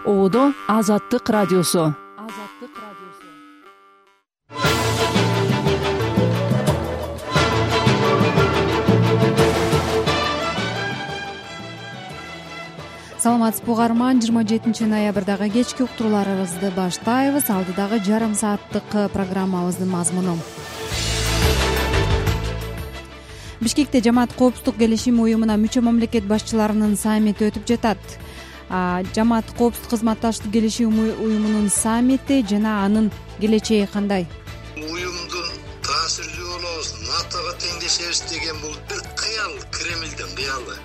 Одо Азаттык радиосу. Саламатсызбы угарман, 27-ноябрдагы кечки уктурууларыбызды баштайбыз. Алдыдагы жарым сааттык программабыздын мазмуну. Бишкекте Жамаат коопсуздук келишими уюмуна мүчө мамлекет башчыларынын саммити өтүп жатат. Жамаат коопсуздук кызматташтык келишими уюмунун саммити жана анын келечеги кандай? Уюмдун таасирлүү болобуз, НАТОго теңдешебиз деген бул бир кыял, Кремлдин кыялы.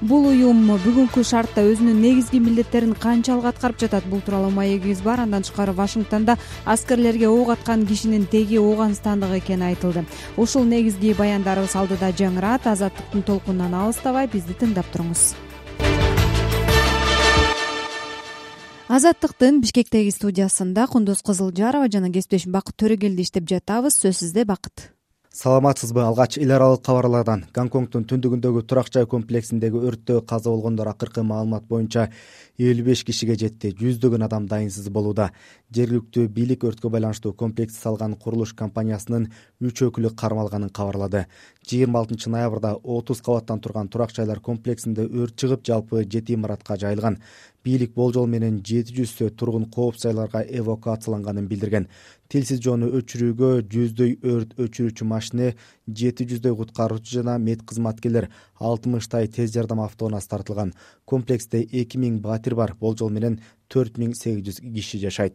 Бул уюм бүгүнкү шартта өзүнүн негизги милдеттерин канчалык аткарып жатат? Бул тууралуу маегибиз бар. Андан тышкары Вашингтондо аскерлерге ок аткан кишинин теги Ооганстандык экени айтылды. Ушул негизги баяндарыбыз алдыда жаңырат. Азаттыктын толкунунан алыстабай бизди тыңдап туруңуз. Азаттыктын Бишкектеги студиясында Кундуз Кызылжарова жана кесиптешим Бакыт Төрөгелди иштеп жатабыз. Сөз сизде, Бакыт. Саламатсызбы? Алгач эл аралык кабарлардан Гонконгдун түндүгүндөгү турак жай комплексиндеги өрттө каза болгондор акыркы маалымат боюнча 55 кишиге жетти. Жүздөгөн адам дайынсыз болууда. Жергиликтүү бийлик өрткө байланыштуу комплекс салган курулуш компаниясынын 3 өкүлү кармалганын кабарлады. 26 ноябрда 30 кабаттан турган турак жайлар комплексинде өрт чыгып, жалпы 7 имаратка жайылган. Бийлик болжол менен 700 тургун коопсуз жайларга эвакуацияланганын билдирген. Тилсиз жоону өчүрүүгө 100дөй өрт өчүрүүчү машина, 700дөй куткаруучу жана мед кызматкерлер, 60 тез жардам автоунаасы тартылган. Комплексте 2000 батир бар, болжол менен 4800 киши жашайт.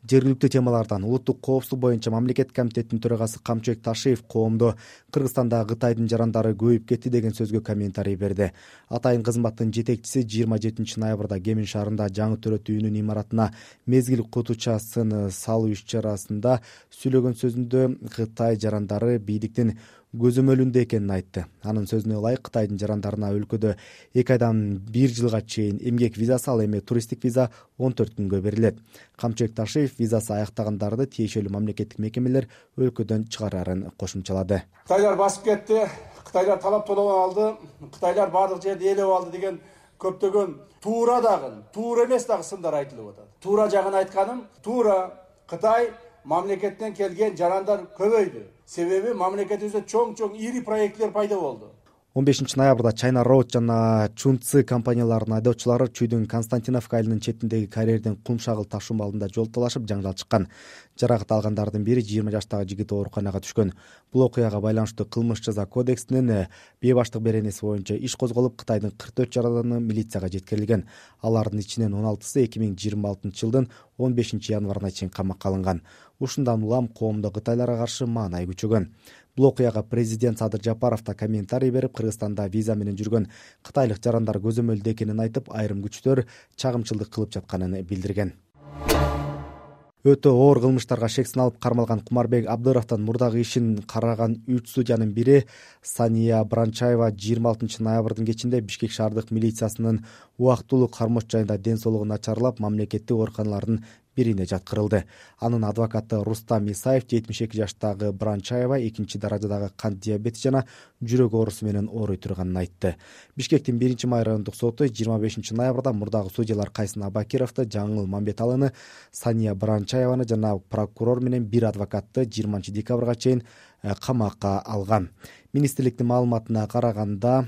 Жергиликтүү темалардан улуттук коопсуздук боюнча мамлекет комитетинин төрагасы Камчыбек Ташиев коомдо Кыргызстанда Кытайдын жарандары көбөйүп кетти деген сөзгө комментарий берди. Атайын кызматтын жетекчиси 27 ноябрда Кемин шаарында жаңы төрөт үйүнүн имаратына мезгил кутучасын салуу иш-чарасында сүйлөгөн сөзүндө Кытай жарандары бийликтин көзөмөлүндө экенин айтты. Анын сөзүнө ылайык, Кытайдын жарандарына өлкөдө 2 айдан 1 жылга чейин эмгек визасы, ал эми туристтик виза 14 күнгө берилет. Камчыбек Ташиев визасы аяктагандарды тиешелүү мамлекеттик мекемелер өлкөдөн чыгарарын кошумчалады. Кытайлар басып кетти, Кытайлар талап толоп алды, Кытайлар бардык жерди ээлеп алды деген көптөгөн туура дагы, туура эмес дагы сындар айтылып атат. Туура жагын айтканым, туура Кытай мамлекеттен келген жарандар көбөйдү. Себеби мамлекетибизде чоң ири проекттер пайда болду. 15 ноябрда China Road жана Chunci компанияларынын айдоочулары Чүйдүн Константиновка айылынын четиндеги карьерден кум шагыл ташуу маалында жол талашып жаңжал чыккан. Жаракат алгандардын бири 20 жаштагы жигит ооруканага түшкөн. Бул окуяга байланыштуу кылмыш жаза кодексинин бейбаштык беренеси боюнча иш козголуп, Кытайдын 44 жарандары милицияга жеткирилген. Алардын ичинен 16сы 2026 жылдын 15 январына чейин камакка алынган. Ушундан улам коомдо Кытайларга каршы маанай күчөгөн. Бул окуяга президент Садыр Жапаров да комментарий берип, Кыргызстанда виза менен жүргөн кытайлык жарандар көзөмөлдө экенин айтып, айрым күчтөр чагымчылдык кылып жатканын билдирген. Өтө оор кылмыштарга шек салып кармалган Кумарбек Абдыровдон мурдагы ишин караган 3 судьянын бири Сания Бранчаева 26 ноябрдын кечинде Бишкек шаардык милициясынын убактылуу кармош жайында ден соолугу начарлап, мамлекеттик ооруканалардын бирине жаткырылды. Анын адвокаты Рустам Исаев 72 жаштагы Бранчаева 2 даражадагы кант диабети жана жүрөк оорусу менен ооруй турганын айтты. Бишкектин 1-май райондук соту 25 ноябрда мурдагы судьялар Кайсын Абакировду, Жаңыл Мамбеталыны, Сания Бранчаеваны жана прокурор менен бир адвокатты 20 декабрга чейин камакка алган. Министрликтин маалыматына караганда,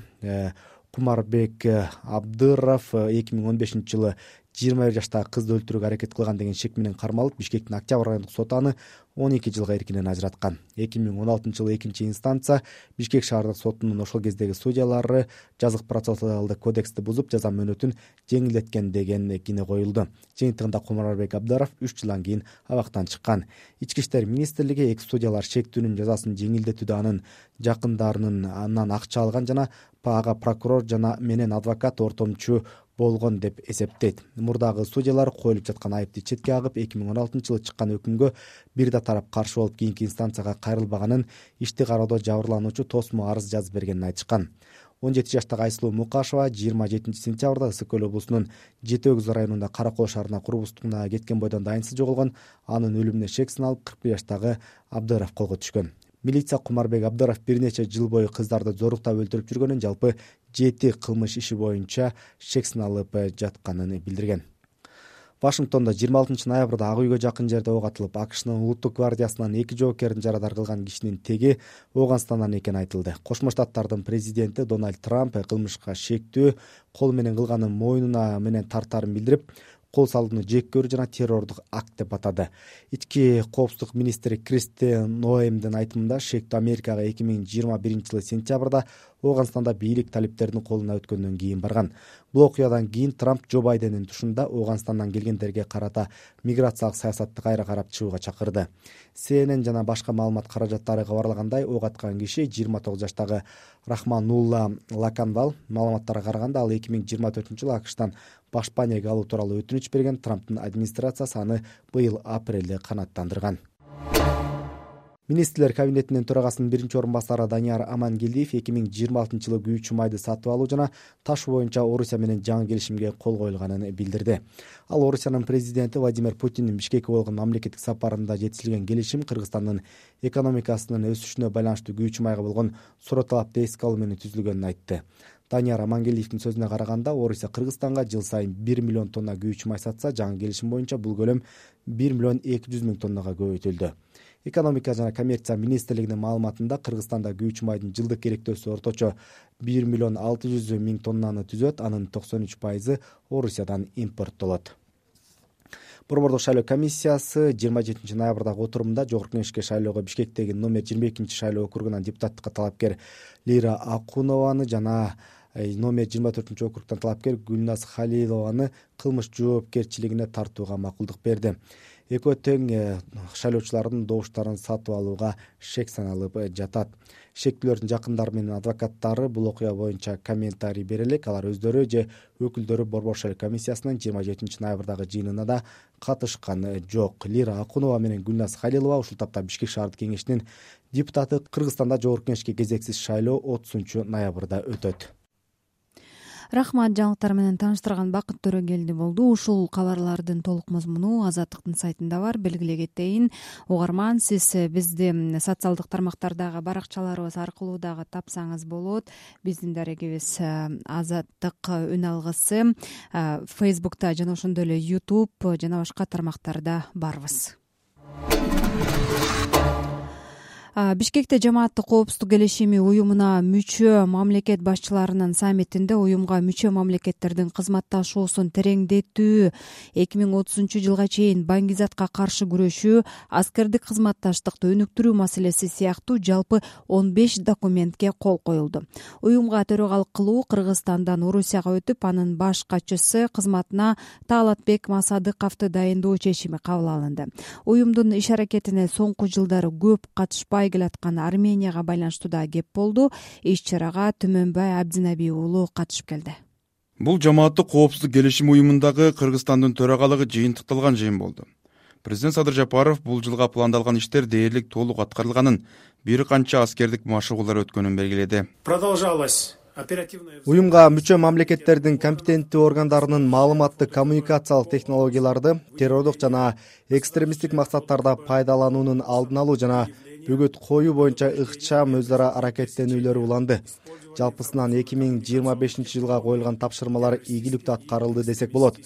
Кумарбек Абдыров 2015 жылы 21 жаштагы кызды өлтүрүүгө аракет кылган деген шек менен кармалып, Бишкектин Октябрь райондук соту аны 12 жылга эркинен ажыраткан. 2016 жылы 2-инстанция Бишкек шаардык сотунун ошол кездеги судьялары жазык процессуалдык кодексти бузуп, жаза мөөнөтүн жеңилдеткен деген кине коюлду. Жыйынтыгында Кумарбек Абдыров 3 жылдан кийин абактан чыккан. Ички иштер министрлиги эки судьялар шектүүнүн жазасын жеңилдетүүдө анын жакындарынын андан акча алган жана ага прокурор жана менен адвокат ортомчу болгон деп эсептейт. Мурдагы судьялар коюлуп жаткан айыпты четке агып, 2016 жылы чыккан өкүмгө бир да тарап каршы болуп, кийинки инстанцияга кайрылбаганын, ишти кароодо жабырлануучу тосмо арыз жазып бергенин айтышкан. 17 жаштагы Айсулуу Мукашева 27 сентябрда Ысык Көл облусунун Жети Өгүз районунда Каракол шаарына курбустугуна кеткен бойдон дайынсыз жоголгон. Анын өлүмүнө шек салып 41 жаштагы Абдыров колго түшкөн. Милиция Кумарбек Абдыров бир нече жыл бою кыздарды зоруктап өлтүрүп жүргөнүн, жалпы 7 кылмыш иши боюнча шек салып жатканын билдирген. Вашингтондо 26 ноябрда Ак үйгө жакын жерде ок атылып, АКШнын улуттук гвардиясынан 2 жоокерин жарадар кылган кишинин теги Ооганстандан экени айтылды. Кошмо Штаттардын президенти Дональд Трамп кылмышка шектүү кол менен кылганын мойнуна менен тартаарын билдирип, кол салууну жек көрүү жана террордук акт деп атады. Ички коопсуздук министри Кристен Ноэмдин айтымында, шектүү Америкага 2021-жылы сентябрда Ооганстанда бийлик талиптердин колуна өткөндөн кийин барган. Бул окуядан кийин Трамп Джо Байдендин тушунда Ооганстандан келгендерге карата миграциялык саясатты кайра карап чыгууга чакырды. CNN жана башка маалымат каражаттары кабарлагандай, ок аткан киши 29 жаштагы Рахманулла Лаканвал. Маалыматтарга караганда, ал 2024-жылы АКШтан баш панеге алуу тууралуу өтүнүч берген. Трамптын администрациясы аны быйыл апрелде канааттандырган. Министрлер кабинетинин төрагасынын биринчи орун басары Данияр Амангелдиев 2026-жылы күйүүчү майды сатып алуу жана ташуу боюнча Орусия менен жаңы келишимге кол коюлганын билдирди. Ал Орусиянын президенти Владимир Путиндин Бишкекке болгон мамлекеттик сапарында жетишилген келишим Кыргызстандын экономикасынын өсүшүнө байланыштуу күйүүчү майга болгон суроо талапты эске алуу менен түзүлгөнүн айтты. Данияр Амангелдиевдин сөзүнө караганда, Орусия Кыргызстанга жыл сайын 1 миллион тонна күйүүчү май сатса, жаңы келишим боюнча бул көлөм 1 миллион 200 миң тоннага көбөйтүлдү. Экономика жана коммерция министрлигинин маалыматында, Кыргызстанда күйүүчү майдын жылдык керектөөсү орточо 1 миллион 600 миң тоннаны түзөт, анын 93% Орусиядан импорттолот. Борбордук шайлоо комиссиясы 27 ноябрдагы отурумда Жогорку Кеңешке шайлоого Бишкектеги номер 22 шайлоо округунан депутаттыкка талапкер Лира Акунованы жана номер 24 округтан талапкер Гүлназ Халилованы кылмыш жоопкерчилигине тартууга макулдук берди. Экөө тең шайлоочулардын добуштарын сатып алууга шек саналып жатат. Шектүүлөрдүн жакындары менен адвокаттары бул окуя боюнча комментарий бере элек. Алар өздөрү же өкүлдөрү Борбор шайлоо комиссиясынын 27 ноябрдагы жыйынына да катышкан жок. Лира Акунова менен Гүлназ Халилова ушул тапта Бишкек шаардык кеңешинин депутаты. Кыргызстанда Жогорку Кеңешке кезексиз шайлоо 30 ноябрда өтөт. Рахмат, жаңылыктар менен тааныштырган Бакыт Төрөгелди болду. Ушул кабарлардын толук мазмуну Азаттыктын сайтында бар. Белгилей кетейин, угарман, сиз бизди социалдык тармактардагы баракчаларыбыз аркылуу дагы тапсаңыз болот. Биздин дарегибиз Азаттык үн алгысы Facebook'та жана ошондой эле YouTube жана башка тармактарда барбыз. Бишкекте жамааттык коопсуздук келишими уюмуна мүчө мамлекет башчыларынын саммитинде уюмга мүчө мамлекеттердин кызматташуусун тереңдетүү, 2030-жылга чейин баңгизатка каршы күрөшүү, аскердик кызматташтыкты өнүктүрүү маселеси сыяктуу жалпы 15 документке кол коюлду. Уюмга төрагалык кылуу Кыргызстандан Орусияга өтүп, анын баш катчысы кызматына Таалатбек Масадыковду дайындоо чечими кабыл алынды. Уюмдун иш аракетине соңку жылдары көп катышпай келаткан Арменияга байланыштуу да кеп болду. Иш-чарага Түмөнбай Абдинаби уулу катышып келди. Бул жамааттык коопсуздук келишим уюмундагы Кыргызстандын төрагалыгы жыйынтыкталган жыйын болду. Президент Садыр Жапаров бул жылга пландалган иштер дээрлик толук аткарылганын, бир канча аскердик машыгуулар өткөнүн белгиледи. Продолжалась Уюмга мүчө мамлекеттердин компетенттүү органдарынын маалыматтык коммуникациялык технологияларды террордук жана экстремисттик максаттарда пайдалануунун алдын алуу жана бөгөт коюу боюнча ыкчам өз ара аракеттенүүлөр уланды. Жалпысынан 2025 жылга коюлган тапшырмалар ийгиликтүү аткарылды десек болот.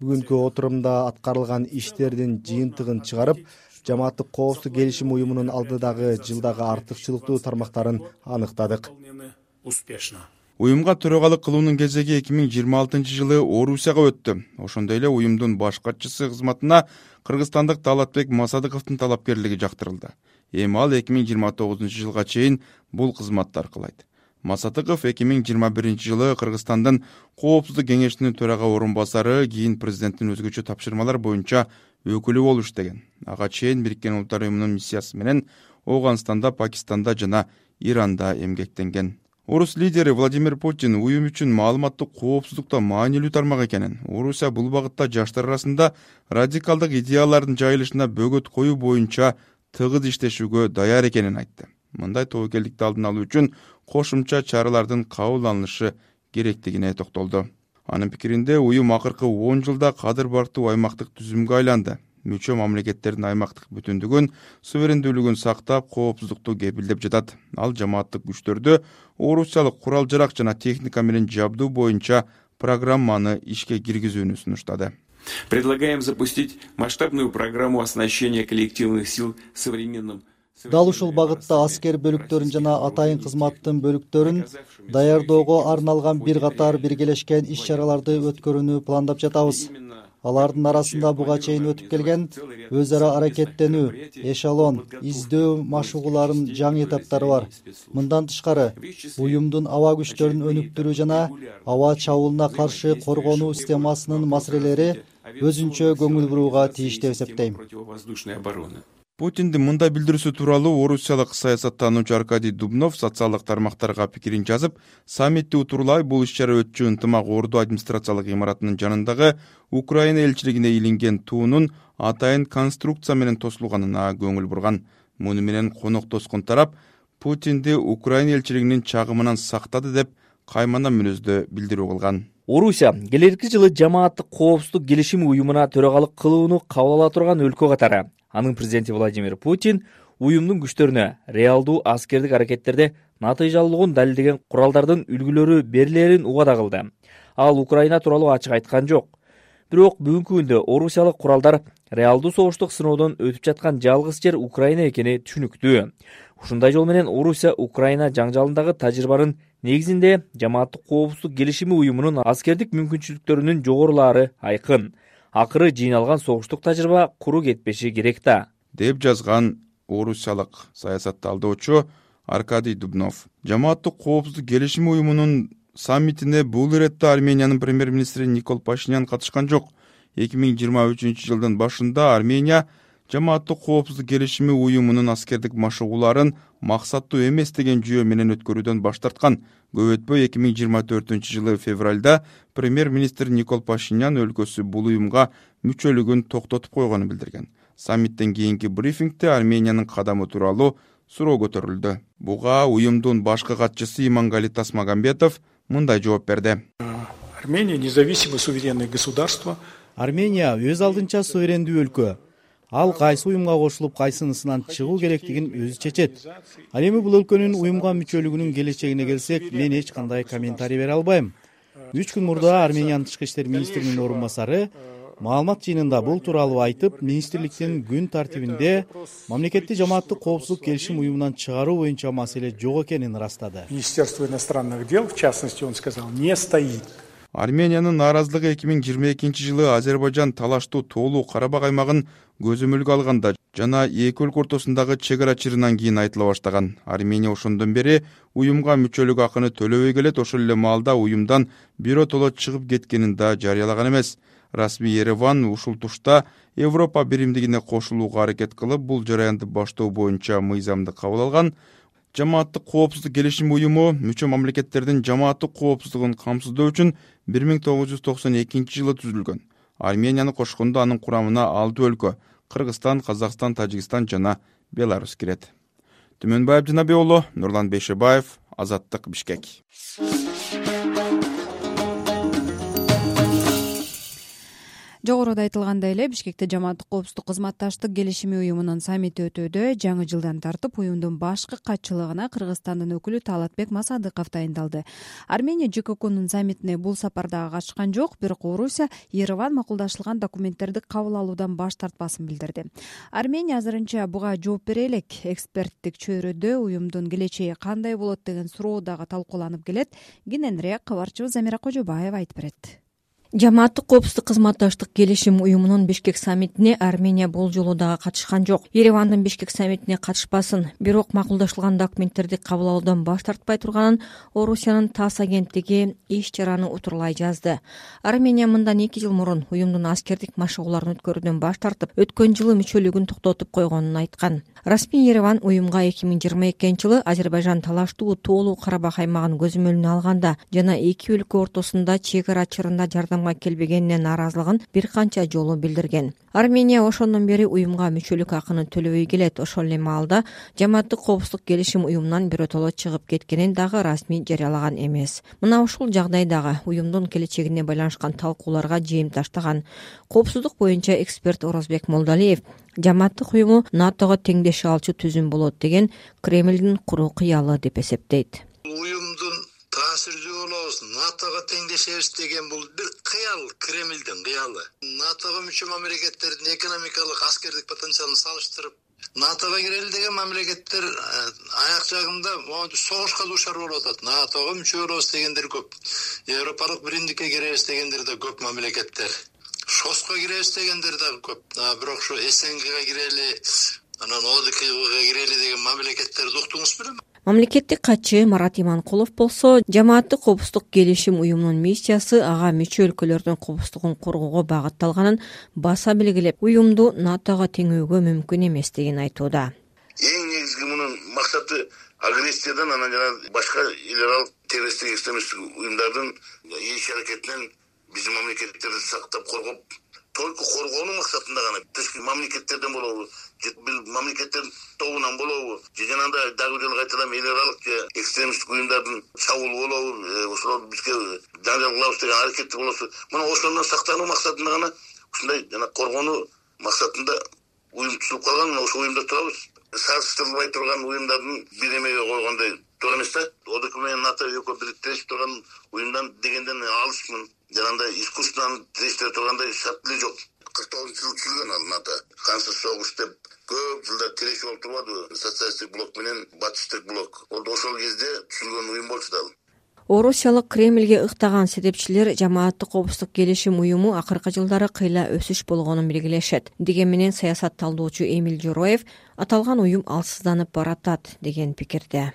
Бүгүнкү отурумда аткарылган иштердин жыйынтыгын чыгарып, жамааттык коопсуздук келишим уюмунун алдыдагы жылдагы артыкчылыктуу тармактарын аныктадык. Уюмга төрагалык кылуунун кезеги 2026 жылы Орусияга өттү. Ошондой эле уюмдун баш катчысы кызматына кыргызстандык Таалатбек Масадыковдун талапкерлиги жактырылды. Эми ал 2029 жылга чейин бул кызматты аркылайт. Масадыков 2021 жылы Кыргызстандын коопсуздук кеңешинин төрага орун басары, кийин президенттин өзгөчө тапшырмалар боюнча өкүлү болуп иштеген. Ага чейин Бириккен Улуттар уюмунун миссиясы менен Ооганстанда, Пакистанда жана Иранда эмгектенген. Орус лидери Владимир Путин уюм үчүн маалыматтык коопсуздукта маанилүү тармак экенин, Орусия бул багытта жаштар арасында радикалдык идеялардын жайылышына бөгөт коюу боюнча тыгыз иштешүүгө даяр экенин айтты. Мындай тобокелдикти алдын алуу үчүн кошумча чаралардын кабыл алынышы керектигине токтолду. Анын пикиринде уюм акыркы 10 жылда кадыр бартуу аймактык түзүмгө айланды. Мүчө мамлекеттердин аймактык бүтүндүгүн, суверендүүлүгүн сактап, коопсуздукту кепилдеп жатат. Ал жамааттык күчтөрдү орусиялык курал-жарак жана техника менен жабдуу боюнча программаны ишке киргизүүнү сунуштады. Предлагаем запустить масштабную программу оснащения коллективных сил современным. Дал ушул багытта аскер бөлүктөрүн жана атайын кызматтын бөлүктөрүн даярдоого арналган бир катар биргелешкен иш-чараларды өткөрүүнү пландап жатабыз. Алардын арасында буга чейин өтүп келген өз ара аракеттенүү, эшелон, издөө машыгууларынын жаңы этаптары бар. Мындан тышкары, уюмдун аба күчтөрүн өнүктүрүү жана аба чабуулуна каршы коргонуу системасынын маселелери өзүнчө көңүл бурууга тийиш деп эсептейм. Путиндин мындай билдирүүсү тууралуу орусиялык саясаттануучу Аркадий Дубнов социалдык тармактарга пикирин жазып, саммитти утурлай бул иш-чара өтчү ынтымак Орду администрациялык имаратынын жанындагы Украина элчилигине илинген туунун атайын конструкция менен тосулганына көңүл бурган. Муну менен коноктоскон тарап Путинди Украина элчилигинин чагымынан сактады деп каймана мүнөздө билдирүү кылган. Орусия келерки жылы жамааттык коопсуздук келишими уюмуна төрагалык кылууну кабыл ала турган өлкө катары. Анын президенти Владимир Путин уюмдун күчтөрүнө реалдуу аскердик аракеттерде натыйжалуулугун далилдеген куралдардын үлгүлөрү берилерин убада кылды. Ал Украина тууралуу ачык айткан жок. Бирок бүгүнкү күндө орусиялык куралдар реалдуу согуштук сыноодон өтүп жаткан жалгыз жер Украина экени түшүнүктүү. Ушундай жол менен Орусия Украина жаңжалындагы тажрыйбанын негизинде жамааттык коопсуздук келишими уюмунун аскердик мүмкүнчүлүктөрүнүн жогорулаары айкын. Акыры жыйналган согуштук тажрыйба куру кетпеши керек да, деп жазган орусиялык саясатталдоочу Аркадий Дубнов. Жамааттык коопсуздук келишими уюмунун саммитине бул иретте Армениянын премьер-министри Никол Пашинян катышкан жок. 2023-жылдын башында Армения жамааттык коопсуздук келишими уюмунун аскердик машыгууларын максаттуу эмес деген жүйө менен өткөрүүдөн баш тарткан. Көп өтпөй 2024-жылы февралда премьер-министр Никол Пашинян өлкөсү бул уюмга мүчөлүгүн токтотуп койгонун билдирген. Саммиттен кийинки брифингде Армениянын кадамы тууралуу суроо көтөрүлдү. Буга уюмдун башкы катчысы Имангали Тасмагамбетов мындай жооп берди. Армения независимое суверенное государство. Армения өз алдынча суверендүү өлкө. Ал кайсы уюмга кошулуп, кайсынысынан чыгуу керектигин өзү чечет. Ал эми бул өлкөнүн уюмга мүчөлүгүнүн келечегине келсек, мен эч кандай комментарий бере албайм. 3 күн мурда Армениянын тышкы иштер министринин орун басары маалымат жыйынында бул тууралуу айтып, министрликтин күн тартибинде мамлекетти жамааттык коопсуздук келишим уюмунан чыгаруу боюнча маселе жок экенин ырастады. Министерство иностранных дел, в частности, он сказал, не стоит. Армениянын нааразылыгы 2022-жылы Азербайжан талаштуу Тоолуу Карабак аймагын көзөмөлгө алганда жана эки өлкө ортосундагы чек ара чырынан кийин айтыла баштаган. Армения ошондон бери уюмга мүчөлүк акыны төлөбөй келет, ошол эле маалда уюмдан биротоло чыгып кеткенин да жарыялаган эмес. Расмий Ереван ушул тушта Европа биримдигине кошулууга аракет кылып, бул жараянды баштоо боюнча мыйзамды кабыл алган. Жамааттык коопсуздук келишим уюму мүчө мамлекеттердин жамааттык коопсуздугун камсыздоо үчүн 1992-жылы түзүлгөн. Арменияны кошкондо анын курамына 6 өлкө — Кыргызстан, Казакстан, Тажикстан жана Беларусь кирет. Түмөнбаев Жанабек уулу, Нурлан Бейшебаев, Азаттык, Бишкек. Жогоруда айтылгандай эле Бишкекте жамааттык коопсуздук кызматташтык келишими уюмунун саммити өтүүдө. Жаңы жылдан тартып уюмдун башкы катчылыгына Кыргызстандын өкүлү Талатбек Масадыков дайындалды. Армения ЖККнун саммитине бул сапарда катышкан жок, бирок Орусия Ереван макулдашылган документтерди кабыл алуудан баш тартпасын билдирди. Армения азырынча буга жооп бере элек. Эксперттик чөйрөдө уюмдун келечеги кандай болот деген суроо дагы талкууланып келет. Кененирээк кабарчыбыз Замира Кожобаева айтып берет. Жамааттык коопсуздук кызматташтык келишим уюмунун Бишкек саммитине Армения бул жолу дагы катышкан жок. Еревандын Бишкек саммитине катышпасын, бирок макулдашылган документтерди кабыл алуудан баш тартпай турганын Орусиянын ТАСС агенттиги иш-чараны утурлай жазды. Армения мындан 2 жыл мурун уюмдун аскердик машыгууларын өткөрүүдөн баш тартып, өткөн жылы мүчөлүгүн токтотуп койгонун айткан. Расмий Ереван уюмга 2022-жылы Азербайжан талаштуу Тоолуу Карабак аймагын көзөмөлүнө алганда жана эки өлкө ортосунда чек ара чырында жардамга келбегенине нааразылыгын бир канча жолу билдирген. Армения ошондон бери уюмга мүчөлүк акыны төлөбөй келет. Ошол эле маалда жамааттык коопсуздук келишим уюмунан биротоло чыгып кеткенин дагы расмий жарыялаган эмес. Мына ушул жагдайдагы уюмдун келечегине байланышкан талкууларга жыйым таштаган коопсуздук боюнча эксперт Орозбек Молдалиев жамааттык уюму НАТОго теңдеше алчу түзүм болот деген Кремлдин куру кыялы деп эсептейт. Уюмдун таасирдүү болобуз, НАТО НАТОго теңдешебиз деген бул бир кыял, Кремлдин кыялы. НАТОго мүчө мамлекеттердин экономикалык, аскердик потенциалын салыштырып, НАТОго кирели деген мамлекеттер аяк жагында согушка дуушар болуп атат. НАТОго мүчө болобуз дегендер көп. Европалык биримдикке киребиз дегендер да көп мамлекеттер. ШОСко киребиз дегендер да көп. Бирок ушу СНГга кирели, анан ОДКБга кирели деген мамлекеттерди уктуңуз белем? Мамлекеттик катчы Марат Иманкулов болсо, жамааттык коопсуздук келишим уюмунун миссиясы ага мүчө өлкөлөрдүн коопсуздугун коргоого багытталганын баса белгилеп, уюмду НАТОго теңөөгө мүмкүн эместигин айтууда. Эң негизги мунун максаты агрессиядан, анан жана башка эл аралык террористтик экстремисттик уюмдардын иш аракетинен биздин мамлекеттерди сактап коргоп, только коргоонун максатында гана тышкы мамлекеттерден болобу, же бир мамлекеттердин тобунан болобу, же жанагындай дагы бир жолу кайталам эл аралык экстремисттик уюмдардын чабуул болобу, ошолор бизге жаңжал кылабыз деген аракети болосу, мына ошондон сактануу максатында гана ушундай жана коргонуу максатында уюм түзүлүп калган. Мына ошол уюмда турабыз. Салыштырылбай турган уюмдардын бир эмеге койгондой туура эмес да. ОДК менен НАТО экөө бириктешип турган уюмдан дегенден алысмын. Жанагындай искусственно тирештире тургандай шарт эле жок. 49-жылы түзүлгөн ал НАТО. Кансыз согуш деп көп жылдар тирешип болуп турбадыбы? Социалисттик блок менен батыштык блок. Ошол кезде түзүлгөн уюм болчу да. Орусиялык Кремлге ыктаган себепчилер жамааттык коопсуздук келишим уюму акыркы жылдары кыйла өсүш болгонун белгилешет. Деген менен саясат талдоочу Эмил Жороев аталган уюм алсызданып баратат деген пикирде.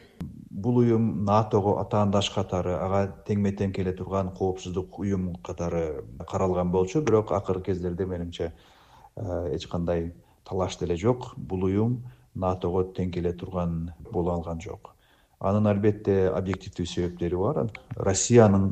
Бул уюм НАТОго атаандаш катары, ага теңме-тең келе турган коопсуздук уюм катары каралган болчу, бирок акыркы кездерде менимче эч кандай талаш деле жок. Бул уюм НАТОго тең келе турган боло алган жок. Анын албетте объективдүү себептери бар. Россиянын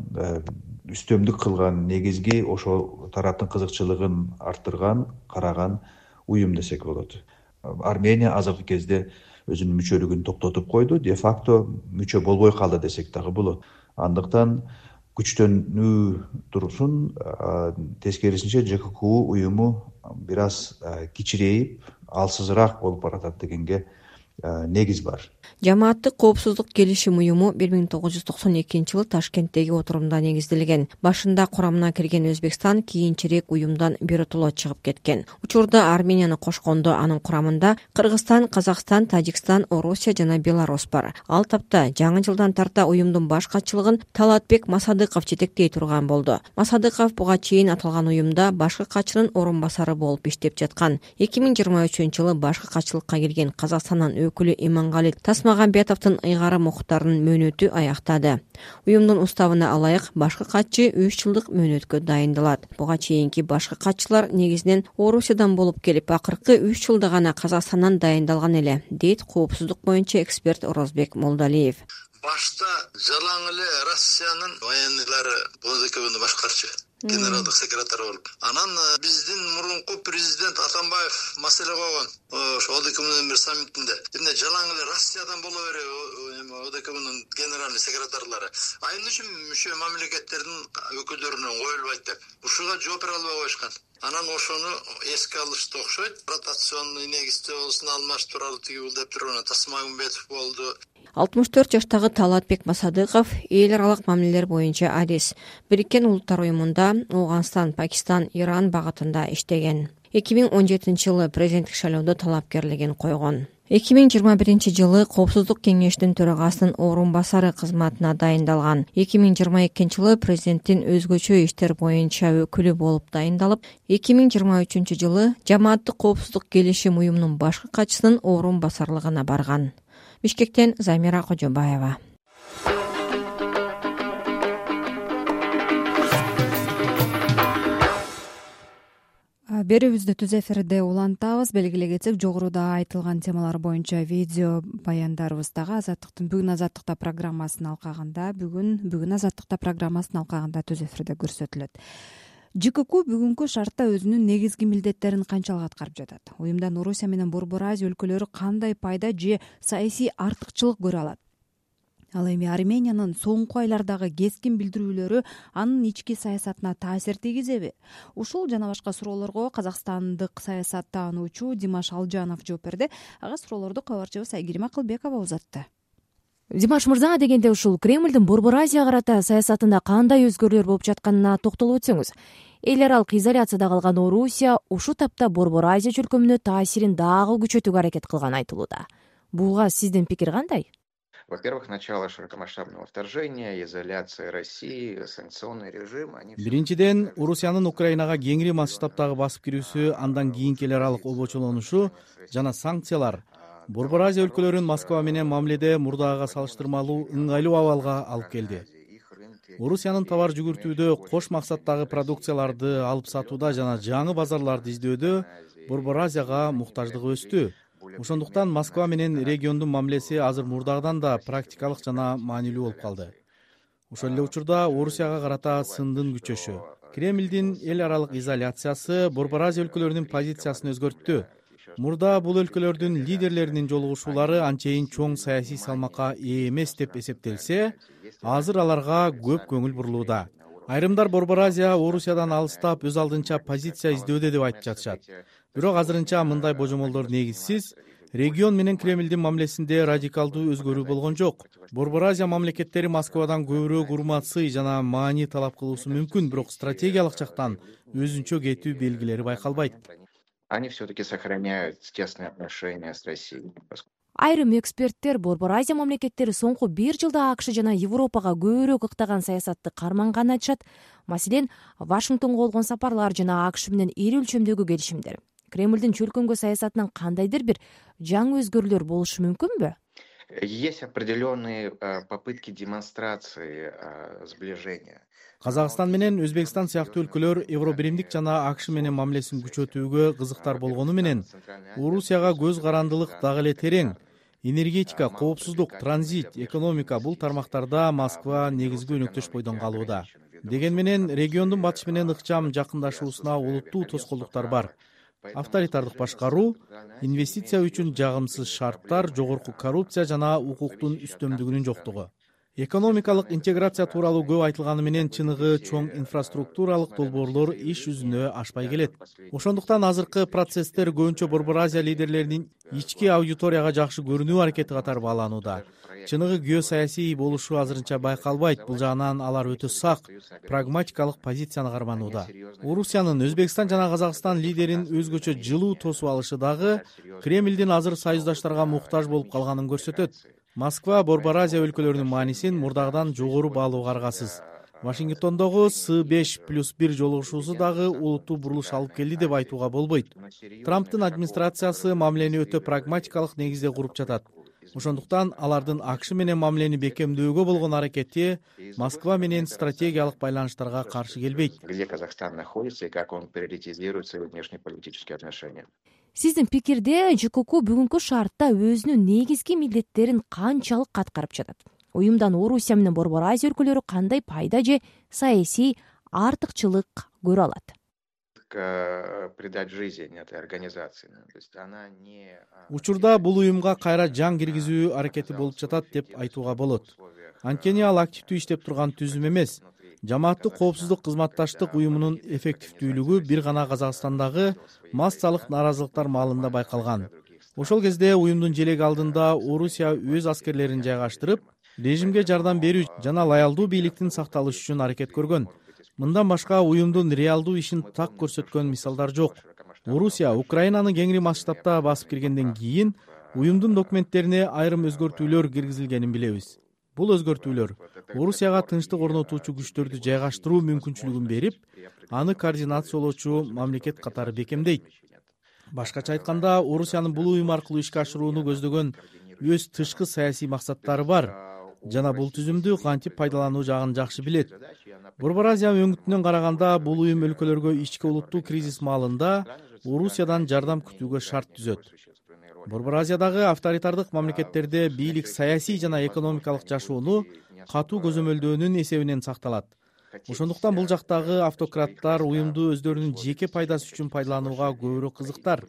үстөмдүк кылган негизги ошол тараптын кызыкчылыгын арттырган, караган уюм десек болот. Армения азыркы кезде өзүнүн мүчөлүгүн токтотуп койду, де факто мүчө болбой калды десек дагы болот. Андыктан күчтөнүү турсун, тескерисинче ЖККУ уюму бир аз кичирейип, алсызыраак болуп баратат дегенге негиз бар. Жамааттык коопсуздук келишим уюму 1992-жылы Ташкенттеги отурумда негизделген. Башында курамына кирген Өзбекстан кийинчерээк уюмдан биротоло чыгып кеткен. Учурда Арменияны кошкондо анын курамында Кыргызстан, Казакстан, Тажикстан, Орусия жана Беларусь бар. Ал тапта жаңы жылдан тарта уюмдун баш катчылыгын Талатбек Масадыков жетектей турган болду. Масадыков буга чейин аталган уюмда башкы катчынын орун басары болуп иштеп жаткан. 2023-жылы башкы катчылыкка келген Казакстандын өкүлү Имангали Тасмагамбетовдун ыйгары мукуттарынын мөөнөтү аяктады. Уюмдун уставына алайык башкы катчы 3 жылдык мөөнөткө дайындалат. Буга чейинки башкы катчылар негизинен Орусиядан болуп келип, акыркы 3 жылда гана Казакстандан дайындалган эле, дейт коопсуздук боюнча эксперт Орозбек Молдалиев. Башта жалаң эле Россиянын военныйлары ОДКБны башкарчу. Генералдык секретарь болуп. Анан биздин мурунку президент Атамбаев маселе койгон. Ошо ОДКБнын бир саммитинде. Эмне жалаң эле Россиядан боло береби ОДКБнын генеральный секретарлары. Айыл үчүн мүчө мамлекеттердин өкүлдөрүнөн коюлбайт деп. Ушуга жооп бере албай коюшкан. Анан ошону эске алышты окшойт. Ротационный негизде болсун алмаштыралы тиги бул деп турган Тасмагамбетов болду. 64 жаштагы Талатбек Масадыков эл аралык мамилелер боюнча адис. Бириккен Улуттар уюмунда Ауганстан, Пакистан, Иран багытында иштеген. 2017-жылы президенттик шайлоодо талапкерлигин койгон. 2021-жылы Коопсуздук кеңештин төрагасынын орун басары кызматына дайындалган. 2022-жылы президенттин өзгөчө иштер боюнча өкүлү болуп дайындалып, 2023-жылы жамааттык коопсуздук келишим уюмунун башкы катчысынын орун басарлыгына барган. Бишкектен Замира Кожобаева. Берүүбүздү түз эфирде улантабыз. Белгилей кетсек, жогоруда айтылган темалар боюнча видео баяндарыбыздагы бүгүн Азаттыкта программасын алкагында, бүгүн Азаттыкта программасын алкагында түз эфирде көрсөтүлөт. ЖКК бүгүнкү шартта өзүнүн негизги милдеттерин канчалык аткарып жатат? Уюмдан Орусия менен Борбор Азия өлкөлөрү кандай пайда же саясий артыкчылык көрө алат? Ал эми Армениянын соңку айлардагы кескин билдирүүлөрү анын ички саясатына таасир тийгизеби? Ушул жана башка суроолорго казакстандык саясаттануучу Димаш Алжанов жооп берди. Ага суроолорду кабарчыбыз Айгерим Акылбекова узатты. Димаш мырза, дегенде ушул Кремлдин Борбор Азия карата саясатында кандай өзгөрүүлөр болуп жатканына токтолуп өтсөңүз. Эл аралык изоляцияда калган Орусия ушул тапта Борбор Азия чөлкөмүнө таасирин дагы күчөтүүгө аракет кылганы айтылууда. Буга сиздин пикир кандай? Во-первых, начало широкомасштабного вторжения, изоляция России, санкционный режим. Биринчиден, Орусиянын Украинага кеңири масштабтагы басып кирүүсү, андан кийинки эл аралык обочолонушу жана санкциялар Борбор Азия өлкөлөрүн Москва менен мамиледе мурдагыга салыштырмалуу ыңгайлуу абалга алып келди. Орусиянын товар жүгүртүүдө, кош максаттагы продукцияларды алып сатууда жана жаңы базарларды издөөдө Борбор Азияга муктаждыгы өстү. Ошондуктан Москва менен региондун мамилеси азыр мурдагыдан да практикалык жана маанилүү болуп калды. Ошол эле учурда Орусияга карата сындын күчөшү. Кремлдин эл аралык изоляциясы Борбор Азия өлкөлөрүнүн позициясын өзгөрттү. Мурда бул өлкөлөрдүн лидерлеринин жолугушуулары анчейин чоң саясий салмакка ээ эмес деп эсептелсе, азыр аларга көп көңүл бурулууда. Айрымдар Борбор Азия Орусиядан алыстап өз алдынча позиция издөөдө деп айтып жатышат. Бирок азырынча мындай божомолдор негизсиз. Регион менен Кремлдин мамилесинде радикалдуу өзгөрүү болгон жок. Борбор Азия мамлекеттери Москвадан көбүрөөк урмат, сый жана маани талап кылуусу мүмкүн, бирок стратегиялык жактан өзүнчө кетүү белгилери байкалбайт. Они все-таки сохраняют тесные отношения с Россией. Айрым эксперттер Борбор Азия мамлекеттери соңку 1 жылда АКШ жана Европага көбүрөөк ыктаган саясатты карманганын айтышат. Маселен, Вашингтонго болгон сапарлар жана АКШ менен ири өлчөмдөгү келишимдер. Кремлдин чөлкөмгө саясатынан кандайдыр бир жаңы өзгөрүүлөр болушу мүмкүнбү? Есть определенные попытки демонстрации сближения. Казакстан менен Өзбекстан сыяктуу өлкөлөр Евробиримдик жана АКШ менен мамилесин күчөтүүгө кызыктар болгону менен, Орусияга көз карандылык дагы эле терең. Энергетика, коопсуздук, транзит, экономика бул тармактарда Москва негизги өнөктөш бойдон калууда. Деген менен региондун батыш менен ыкчам жакындашуусуна олуттуу тоскоолдуктар бар. Авторитардык башкаруу, инвестиция үчүн жагымсыз шарттар, жогорку коррупция жана укуктун үстөмдүгүнүн жоктугу. Экономикалык интеграция тууралуу көп айтылганы менен чыныгы чоң инфраструктуралык долбоорлор иш жүзүнө ашпай келет. Ошондуктан азыркы процесстер көбүнчө Борбор Азия лидерлеринин ички аудиторияга жакшы көрүнүү аракети катары бааланууда. Чыныгы геосаясий болушу азырынча байкалбайт. Бул жагынан алар өтө сак, прагматикалык позицияны карманууда. Орусиянын Өзбекстан жана Казакстан лидерин өзгөчө жылуу тосуп алышы дагы Кремлдин азыр союздаштарга муктаж болуп калганын көрсөтөт. Москва Борбор Азия өлкөлөрүнүн маанисин мурдагыдан жогору баалоого аргасыз. Вашингтондогу С5+1 жолугушуусу дагы олуттуу бурулуш алып келди деп айтууга болбойт. Трамптын администрациясы мамилени өтө прагматикалык негизде куруп жатат. Ошондуктан алардын АКШ менен мамилени бекемдөөгө болгон аракети Москва менен стратегиялык байланыштарга каршы келбейт. Где Казахстан находится и как он приоритизирует свои внешнеполитические отношения. Сиздин пикирде ЖКК бүгүнкү шартта өзүнүн негизги милдеттерин канчалык аткарып жатат? Уюмдан Орусия менен Борбор Азия өлкөлөрү кандай пайда же саясий артыкчылык көрө алат? Придать жизнь этой организации. То есть она не... Учурда бул уюмга кайра жан киргизүү аракети болуп жатат деп айтууга болот. Анткени ал активдүү иштеп турган түзүм эмес. Жамааттык коопсуздук кызматташтык уюмунун эффективдүүлүгү бир гана Казакстандагы массалык нааразылыктар маалында байкалган. Ошол кезде уюмдун желеги алдында Орусия өз аскерлерин жайгаштырып, режимге жардам берүү жана лоялдуу бийликтин сакталышы үчүн аракет көргөн. Мындан башка уюмдун реалдуу ишин так көрсөткөн мисалдар жок. Орусия Украинаны кеңири масштабта басып киргенден кийин уюмдун документтерине айрым өзгөртүүлөр киргизилгенин билебиз. Бул өзгөртүүлөр Орусияга тынчтык орнотуучу күчтөрдү жайгаштыруу мүмкүнчүлүгүн берип, аны координациялоочу мамлекет катары бекемдейт. Башкача айтканда, Орусиянын бул уюм аркылуу ишке ашырууну көздөгөн өз тышкы саясий максаттары бар жана бул түзүмдү кантип пайдалануу жагын жакшы билет. Борбор Азия өңүтүнөн караганда, бул уюм өлкөлөргө ички улуттуу кризис маалында Орусиядан жардам күтүүгө шарт түзөт. Борбор Азиядагы авторитардык мамлекеттерде бийлик саясий жана экономикалык жашоону катуу көзөмөлдөөнүн эсебинен сакталат. Ошондуктан бул жактагы автократтар уюмду өздөрүнүн жеке пайдасы үчүн пайдаланууга көбүрөөк кызыктар.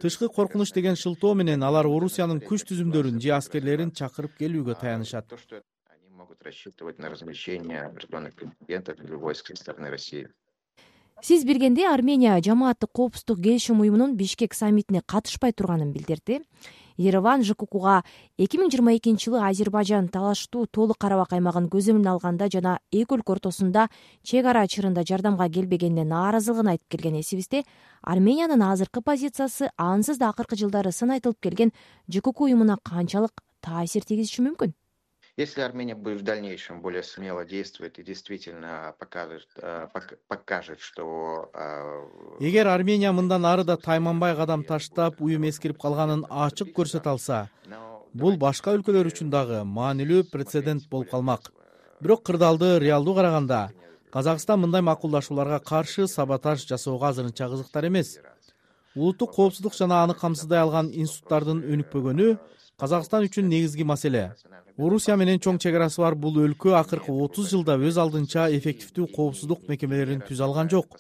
Тышкы коркунуч деген шылтоо менен алар Орусиянын күч түзүмдөрүн же аскерлерин чакырып келүүгө таянышат. Они могут рассчитывать на размещение определенных контингентов или войск со стороны России. Сиз билгендей, Армения жамааттык коопсуздук келишим уюмунун Бишкек саммитине катышпай турганын билдирди. Ереван ЖККга 2022-жылы Азербайжан талаштуу Тоолук Карабак аймагын көзөмөлгө алганда жана эки өлкө ортосунда чек ара чырында жардамга келбегенине нааразылыгын айтып келген эсибизде, Армениянын азыркы позициясы ансыз да акыркы жылдары сын айтылып келген ЖКК уюмуна канчалык таасир тийгизиши мүмкүн? Если Армения будет в дальнейшем более смело действовать и действительно покажет, что... Эгер Армения мындан ары да тайманбай кадам таштап, уюм эскирип калганын ачык көрсөтө алса, бул башка өлкөлөр үчүн дагы маанилүү прецедент болуп калмак. Бирок кырдаалды, реалдуу караганда, Казакстан мындай макулдашууларга каршы саботаж жасоого азырынча кызыктар эмес. Улуттук коопсуздук жана аны камсыздай алган институттардын өнүкпөгөнү Казакстан үчүн негизги маселе. Орусия менен чоң чек арасы бар бул өлкө акыркы 30 жылда өз алдынча эффективдүү коопсуздук мекемелерин түзө алган жок.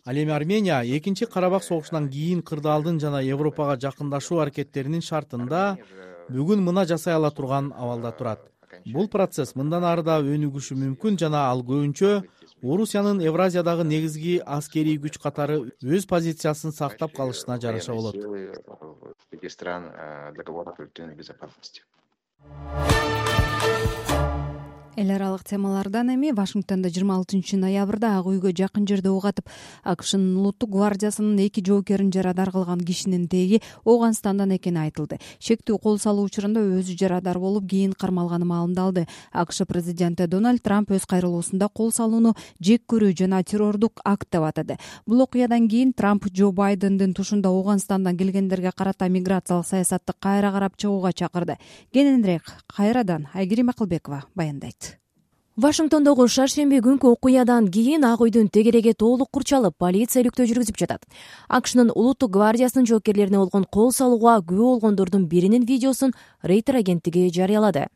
Ал эми Армения экинчи Карабак согушунан кийин кырдаалдын жана Европага жакындашуу аракеттеринин шартында бүгүн мына жасай ала турган абалда турат. Бул процесс мындан ары да өнүгүшү мүмкүн жана ал көбүнчө Орусиянын Евразиядагы негизги аскерий күч катары өз позициясын сактап калышына жараша болот. Эл аралык темалардан эми Вашингтондо 26 ноябрда Ак үйгө жакын жерде ок атып, АКШнын улуттук гвардиясынын 2 жоокерин жарадар кылган кишинин теги Ооганстандан экени айтылды. Шектүү кол салуу учурунда өзү жарадар болуп, кийин кармалганы маалымдалды. АКШ президенти Дональд Трамп өз кайрылуусунда кол салууну жек көрүү жана террордук акт деп атады. Бул окуядан кийин Трамп Джо Байдендин тушунда Ооганстандан келгендерге карата миграциялык саясатты кайра карап чыгууга чакырды. Кененирээк кайрадан Айгерим Акылбекова баяндайт. Вашингтондогу шаршемби күнкү окуядан кийин Ак үйдүн тегереги толук курчалып, полиция иликтөө жүргүзүп жатат. АКШнын улуттук гвардиясынын жоокерлерине болгон кол салууга күбө болгондордун биринин видеосун Рейтер агенттиги жарыялады.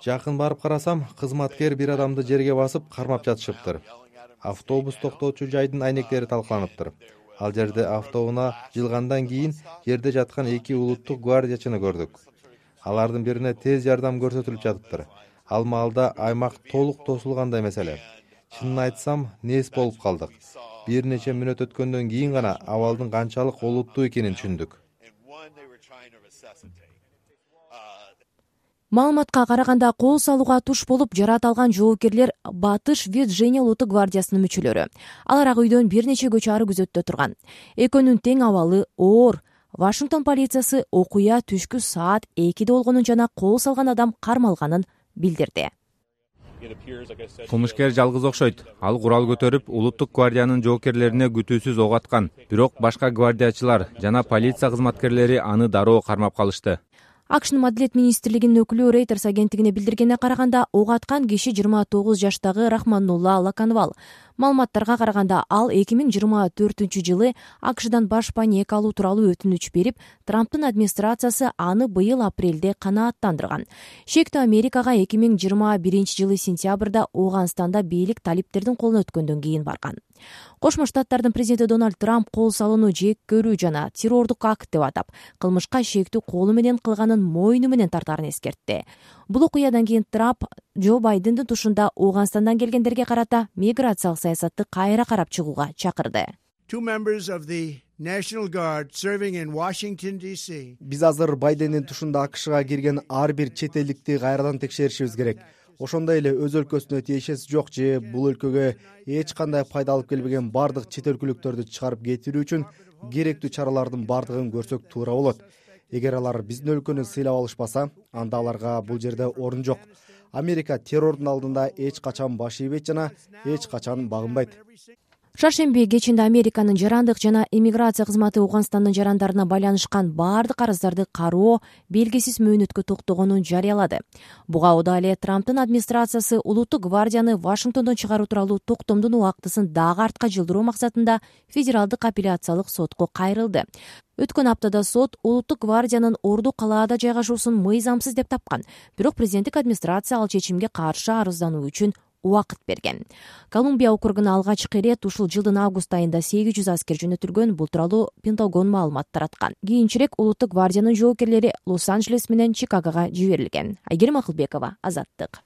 Жакын барып карасам, кызматкер бир адамды жерге басып кармап жатышыптыр. Автобус токтоочу жайдын айнектери талкаланыптыр. Ал жерде автоунаа жылгандан кийин жерде жаткан 2 улуттук гвардиячыны көрдүк. Алардын бирине тез жардам көрсөтүлүп жатыптыр. Ал маалда аймак толук тосулгандай маселе. Чынын айтсам, нес болуп калдык. Бир нече мүнөт өткөндөн кийин гана абалдын канчалык олуттуу экенин түшүндүк. Маалыматка караганда, кол салууга туш болуп жарат алган жоокерлер Батыш Virginia улуттук гвардиясынын мүчөлөрү. Алар Ак үйдөн бир нече көчө ары күзөттө турган. Экөөнүн тең абалы оор. Вашингтон полициясы окуя түшкү саат 2'de болгонун жана кол салган адам кармалганын билдирди. Кылмышкер жалгыз окшойт. Ал курал көтөрүп, улуттук гвардиянын жоокерлерине күтүүсүз ок аткан. Бирок башка гвардиячылар жана полиция кызматкерлери аны дароо кармап калышты. АКШнын Маделиет министрлигинин өкүлү Рейтерс агенттигине билдиргенине караганда, ок аткан киши 29 жаштагы Рахманнулла Лаканвал. Маалыматтарга караганда, ал 2024-жылы АКШдан баш паек алуу тууралуу өтүнүч берип, Трамптын администрациясы аны быйыл апрелде канааттандырган. Шектүү Америкага 2021-жылы сентябрда Ооганстанда бийлик талиптердин колуна өткөндөн кийин барган. Кошмо Штаттардын президенти Дональд Трамп кол салууну жек көрүү жана террордук акт деп атап, кылмышка шектүү колу менен кылганын мойну менен тартаарын эскертти. Бул окуядан кийин Трамп Джо Байдендин тушунда Ооганстандан келгендерге карата миграциялык саясатты кайра карап чыгууга чакырды. Биз азыр Байдендин тушунда АКШга кирген ар бир чет элдикти кайрадан текшеришибиз керек. Ошондой эле өз өлкөсүнө тиешеси жок же бул өлкөгө эч кандай пайда алып келбеген бардык чет өлкөлүктөрдү чыгарып кетирүү үчүн керектүү чаралардын бардыгын көрсөк туура болот. Эгер алар биздин өлкөнү сыйлап алышпаса, анда аларга бул жерде орун жок. Америка террордун алдында эч качан баш ийбейт жана эч качан багынбайт. Шаршемби кечинде Американын жарандык жана иммиграция кызматы Ооганстандын жарандарына байланышкан бардык арыздарды кароо белгисиз мөөнөткө токтогонун жарыялады. Буга ода эле Трамптын администрациясы улуттук гвардияны Вашингтондон чыгаруу тууралуу токтомдун убактысын дагы артка жылдыруу максатында федералдык апелляциялык сотко кайрылды. Өткөн аптада сот улуттук гвардиянын Орду калаада жайгашуусун мыйзамсыз деп тапкан. Бирок президенттик администрация ал чечимге каршы арыздануу үчүн убакыт берген. Колумбия округуна алгачкы ирет ушул жылдын август айында 800 аскер жөнөтүлгөн. Бул тууралуу Пентагон маалымат тараткан. Кийинчерээк улуттук гвардиянын жоокерлери Лос-Анджелес менен Чикагога жиберилген. Айгерим Акылбекова, Азаттык.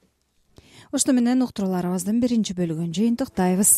Ошто менен уктурууларыбыздын биринчи бөлүгүн жыйынтыктайбыз.